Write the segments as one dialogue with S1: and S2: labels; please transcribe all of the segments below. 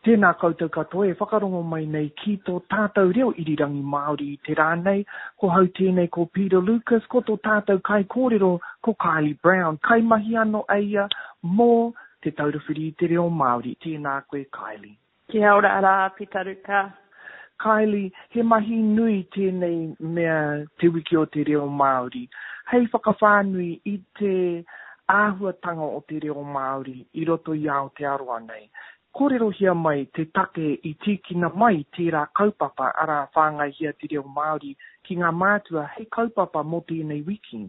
S1: Tēnā koutou katoa e whakarongo mai nei ki tō tātou reo irirangi Māori i te rā nei. Ko hau tēnei ko Peter Lucas, ko tō tātou kaikōrero ko Kylie Brown, kaimahi ano a ia mō Te Taura Whiri i te Reo Māori. Tēnā koe Kylie.
S2: Kia ora rā Pita Ruka.
S1: Kylie, he mahi nui tēnei mea Te Wiki o te Reo Māori, hei whakawhānui i te āhuatanga o te reo Māori i roto i Aotearoa nei. Kōrerohia mai te take i tīkina mai tērā kaupapa, arā, Whāngaihia te Reo Māori ki ngā mātua hei kaupapa mō tēnei wiki.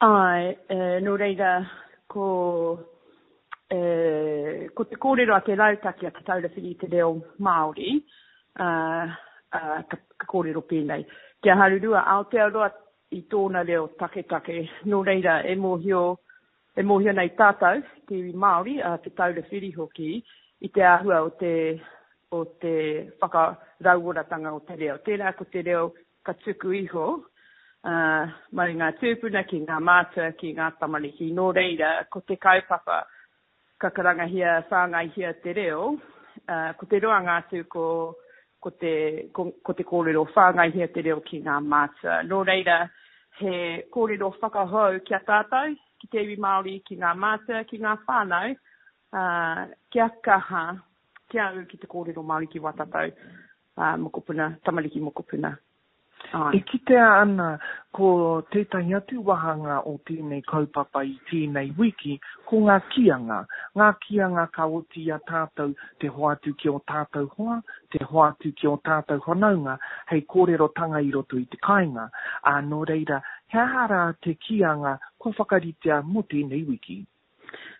S2: Āe, nō reira, ko, ko te kōrero a te rautaki a Te Taura Whiri i te Reo Māori, ā, ka, ka kōrero pēnei, Kia harurua Aotearoa i tōna reo taketake, nō reira, e mōhio, E mōhio nei tātou, te iwi Māori, a Te Taura Whiri hoki, i te āhua o te, o te whakarauoratanga o te reo. Tērā ko te reo ka tuku iho, ā, mai ngā tūpuna ki ngā mātua, ki ngā tamariki. Nō reira, ko te kaupapa ka karangahia, whāngaihia te reo, ā, ko te roanga atu ko, ko te, ko, ko te kōrero whāngaihia te reo ki ngā mātua. Nō reira, he kōrero whakahou ki a tātou, ki te iwi Māori, ki ngā mātua, ki ngā whānau, ā, kia kaha, kia ū ki te kōrero Māori ki wā tātou, ā, mokopuna, tamariki mokopuna.
S1: Āe. E kitea ana ko tētahi atu wāhanga o tēnei kaupapa i tēnei wiki, ko ngā kīanga. Ngā kīanga ka oti i a tātou te hoatu ki ō tātou hoa, te hoatu ki ō tātou whanaunga hei kōrerotanga i roto i te kāinga. Ā, nō reira, he aha rā te kīanga kua whakaritea mō tēnei wiki?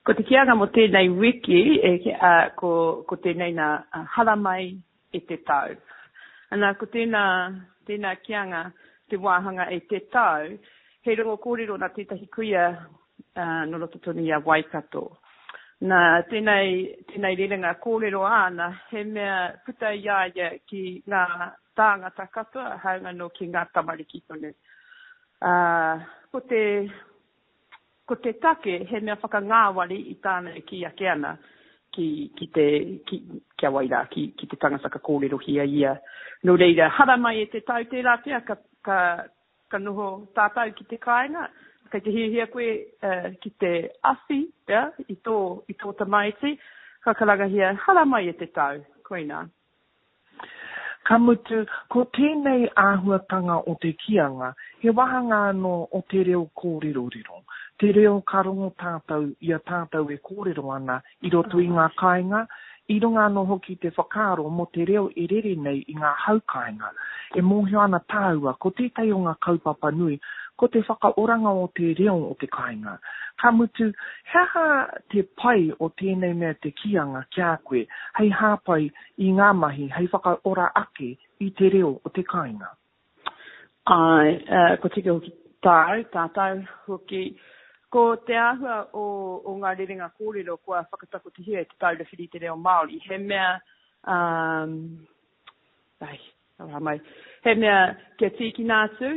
S2: Ko te kīanga mō tēnei wiki, e, ā, ko, ko tēnei nā, haramai e te tau. Ana, ko tēnā, tēnā kīanga, te wāhanga e te tau, he rongo kōrero nā tētahi kuia ā, nō roto tonu i a Waikato. Nā, tēnei, tēnei rerenga kōrero āna, he mea puta i a ia ki ngā tāngata katoa, hāunga nō ki ngā tamariki tonu. Ā, ko te, Ko te take he mea whakangāwari i tāna e kī ake ana ki, ki te, ki, ki a wai rā, ki, ki te tangata ka kōrerohia ia. Nō reira, haramai e te tau tērā pea ka, ka, ka noho tātou ki te kāinga, kei te hiahia koe uh, ki te awhi pea i tō, i tō tamaiti, ka karangahia, haramai e te tau, koinā.
S1: Ka mutu, ko tēnei āhuatanga o te kīanga, he wāhanga anō o te reo kōrerorero, te reo ka rongo tātou i a tātou e kōrero ana i roto i ngā kāinga, i runga anō hoki te whakaaro mō te reo e rere nei i ngā hau kāinga. E mōhio ana tāua, ko tētahi o ngā kaupapa nui, ko te whakaoranga o te reo o te kāinga. Ka mutu, he aha te pai o tēnei mea te kīanga ki a koe hei hāpai i ngā mahi hei whakaora ake i te reo o te kāinga?
S2: Āe, kua tika hoki tāu, tātou hoki. Ko te āhua o, o ngā rerenga kōrero kua whakatakotohia e Te Taura Whiri i te Reo Māori, he mea, um, ai, Aroha mai. He mea kia tīkina atu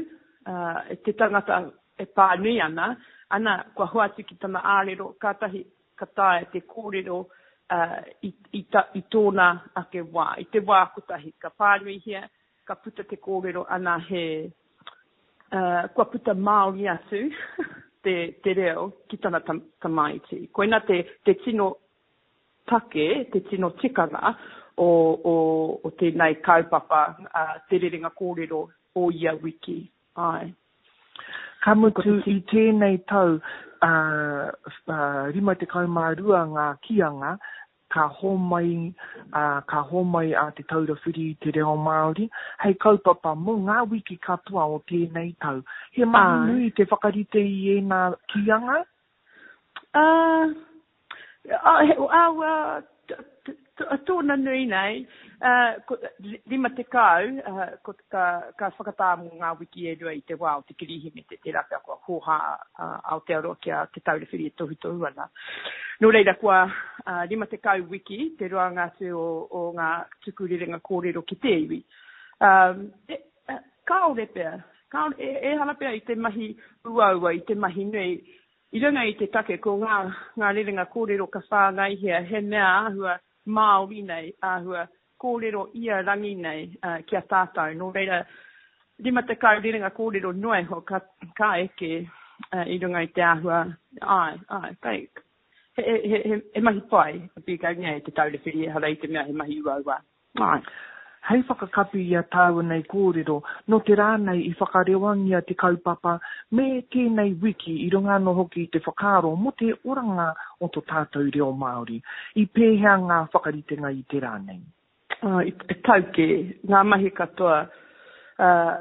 S2: e te tangata e pānui ana, ana, kua hoatu ki tana ārero, kātahi ka taea te kōrero i, i, ta, i tōna ake wā. I te wā kotahi, ka pānuihia, ka puta te kōrero, ana he, uh, kua puta Māori atu te, te reo ki tana tam, tamaiti. Koina te, te tino take, te tino tikanga o, o, o tēnei kaupapa, ā, te rerenga kōrero o ia wiki. Āe.
S1: Ka mutu i tēnei tau, ā, ā, 52 ngā kīanga ka hōmai, ā, ka hōmai a Te Taura Whiri i te Reo Māori hei kaupapa mō ngā wiki katoa o tēnei tau. He mahi nui te whakarite i ēnā kīanga?
S2: Ā, Ā, tōna nui nei, ko, 50, ko, ka, ka whakatā mō ngā wiki e rua i te wā o te Kirihimete, tērā pea kua hōhā a Aotearoa ki a Te Taura Whiri e tohutohu ana. Nō reira, kua 50 wiki te roanga atu o, o ngā tuku rerenga kōrero ki te iwi. Um, e, kāore pea, kāore, e, ehara pea i te mahi uaua, i te mahi nui, I runga i te take ko ngā, ngā rerenga kōrero ka whāngaihia he mea āhua Māori nei, āhua kōrero ia rangi nei ki a tātou. Nō reira, 50 rerenga kōrero noa iho ka, ka eke i runga i te āhua, āe, āe, kei, he, he, he, he mahi pai a pīkaungia e Te Taura Whiri, ehara i te mea he mahi uaua. Āe.
S1: Hei whakakapi i a tāua nei kōrero, nō te rā nei i whakarewangia te kaupapa me tēnei wiki i runga anō hoki i te whakaaro mō te oranga o to tātou reo Māori. I pēhea ngā whakaritenga i te rā nei?
S2: I tau kē ngā mahi katoa.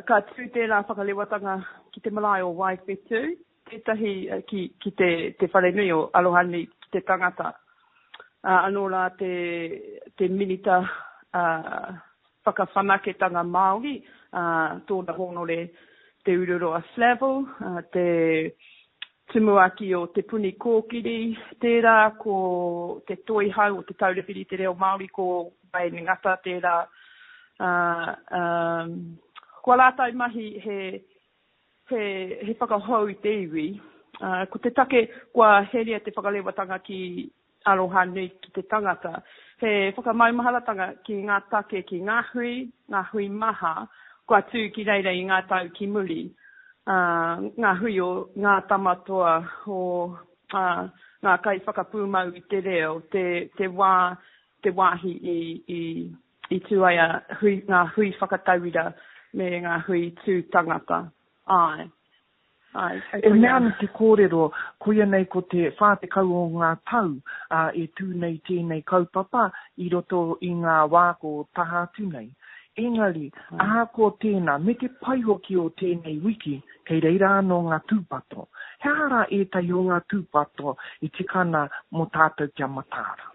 S2: Ka tū tērā whakarewatanga ki te marae o Waiwhetū, tētahi ki, ki te, te wharenui o Arohanui ki te tangata. Ā, anō rā te, te Minita ā, Whakawhanaketanga Māori, ā, tōna hōnore Te Ururoa Flavell, ā, te Tumuaki o Te Puni Kōkiri, tērā ko te Toihau o Te Taura Whiri i te Reo Māori, ko Wayne Ngata tērā. Ā, ā, ko ā rātou mahi he, he, he whakahou i te iwi. Uh, ko te take kua heria te whakarewatanga ki aroha nui ki te tangata, he whakamaumaharatanga ki ngā take ki ngā hui, ngā hui maha kua tū ki reira i ngā tau ki muri. Uh, ngā hui o ngā tamatoa, o uh, ngā kaiwhakapūmau i te reo, te, te wā, te wāhi i, i, i tū ai a hui, ngā hui whakatauira me ngā hui tū tangata. Āe.
S1: Āe. E mea ana te kōrero, koia nei ko te 40 o ngā tau, ā, e tū nei tēnei kaupapa i roto i ngā wā ko taha atu nei. Engari, ahakoa tēnā, me te pai hoki o tēnei wiki, kei reira anō ngā tūpato. He aha rā ētahi o ngā tūpato i tika ana mō tātou kia mataara?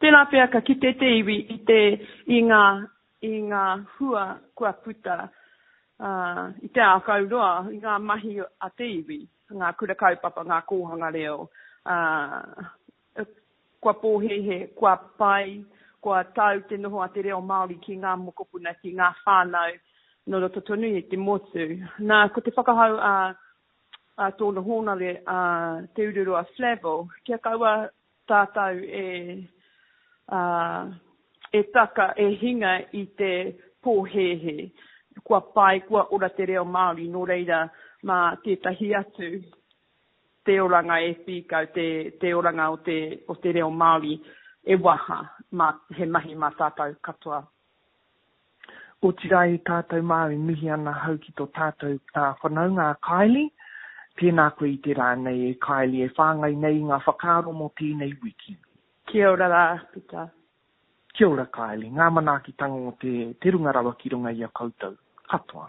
S2: Tērā pea ka kite te iwi i te, i ngā, i ngā hua kua puta i te ākau roa, i ngā mahi a te iwi, ngā kura kaupapa, ngā kōhanga reo, kua pōhēhē, kua pai, kua tau te noho a te reo Māori ki ngā mokopuna, ki ngā whānau nō roto tonu i te motu. Nā, ko te whakahau a a tōna hōnare a Te Ururoa Flavell, kia kaua tātou e, ā, e taka, e hinga i te pōhēhē. Kua pai, kua ora te reo Māori, nō reira mā tētahi atu te oranga e whīkau, te, te oranga o te, o te reo Māori e waha, mā, he mahi mā tātou katoa.
S1: Otirā e tātou mā e mihi ana ahau ki tō tātou whanaunga a Kylie. Tēnā koe i te rā nei e Kylie e whāngai nei i ngā whakaaro mō tēnei wiki.
S2: Kia ora rā, Pita.
S1: Kia ora Kylie, ngā manaakitanga o te, te runga rawa ki runga i a koutou katoa.